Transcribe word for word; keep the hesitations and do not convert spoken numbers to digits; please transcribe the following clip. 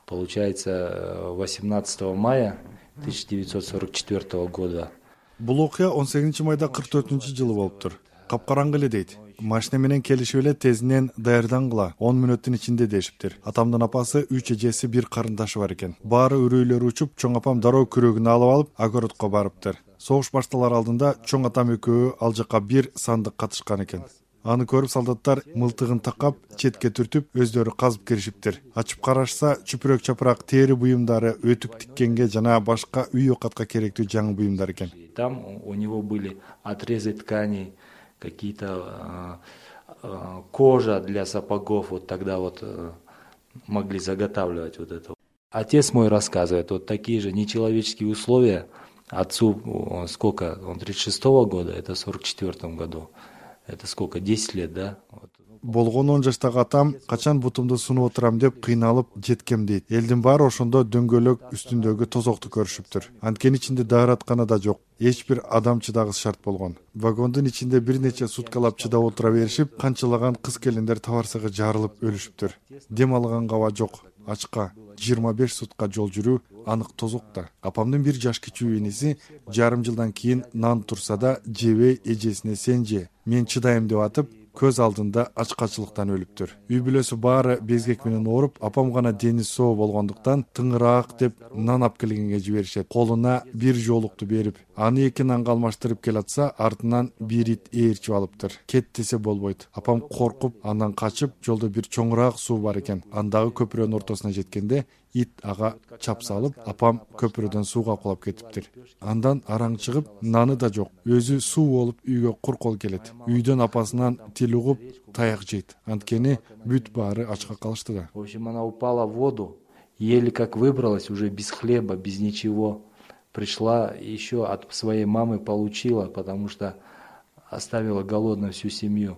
получается, восемнадцатого мая тысяча девятьсот сорок четвёртого года. Бул окуя он сегизинчи майда кырк төртүнчү жылы болуптур. Капкараңгы эле дейт. Машина менен келишип эле тезинен даярдангыла, он мүнөттүн ичинде дешиптир. Атамдын апасы, үч эжеси, бир карындашы бар экен. Баары үрөйлөрү учуп, чоң апам дароо күрөгүн алып алып, огородко барыптыр. Согуш башталар алдында чоң атам экөө ал жака бир сандык катышкан экен. Аны көрүп солдаттар мылтыгын такап, четке түртүп, өздөрү казып киришиптир. Ачып карашса, чүпүрөк чапырак тери буюмдары, өтүк тиккенге жана башка үй окатка керектүү жаңы буюмдар экен. Там у него были отрезы тканей, какие-то э, кожа для сапогов, вот тогда вот э, могли заготавливать вот это. Отец мой рассказывает, вот такие же нечеловеческие условия. Отцу он, сколько, он тридцать шестого года, это в сорок четвёртом году. Это сколько, десять лет, да? Вот. Болгон он жаштагы атам качан бутумду сунуп отурам деп кыйналып жеткем дейт. Элдин баары ошондо дөңгөлөк үстүндөгү тозокту көрүшүптүр. Анткени ичинде даараткана да жок. Эч бир адам чыдагысы шарт болгон. Вагондун ичинде бир нече суткалап чыдап отура беришип, канчалаган кыз келиндер табарсага жарылып өлүшүптүр. Дем алганга аба жок. Ачка жыйырма беш сутка жол жүрүү анык тозокта. Апамдын бир жаш кичүү иниси жарым жылдан кийин нан турса да жебей эжесине сен же, мен чыдайм деп атып, көз алдында ачкачылыктан өлүптүр. Үй бүлөсү баары безгек менен ооруп, апам гана дени соо болгондуктан тыңыраак деп нан алып келгенге жиберишет. Колуна бир жоолукту берип, аны эки нанга алмаштырып келатса, артынан бир ит ээрчип алыптыр. Кет десе болбойт. Апам коркуп, андан качып, жолдо бир чоңураак суу бар экен. Андагы көпүрөнүн ортосуна жеткенде ит ага чап салып, апам көпүрөдөн сууга кулап кетиптир. Андан араң чыгып, наны да жок. Өзү суу болуп үйгө кур кол келет. Үйдөн апасынан тил угуп, таяк жейт. Анткени бүт баары ачка калышты да. В общем, она упала в воду, еле как выбралась, уже без хлеба, без ничего. Пришла еще от своей мамы, получила, потому что оставила голодной всю семью.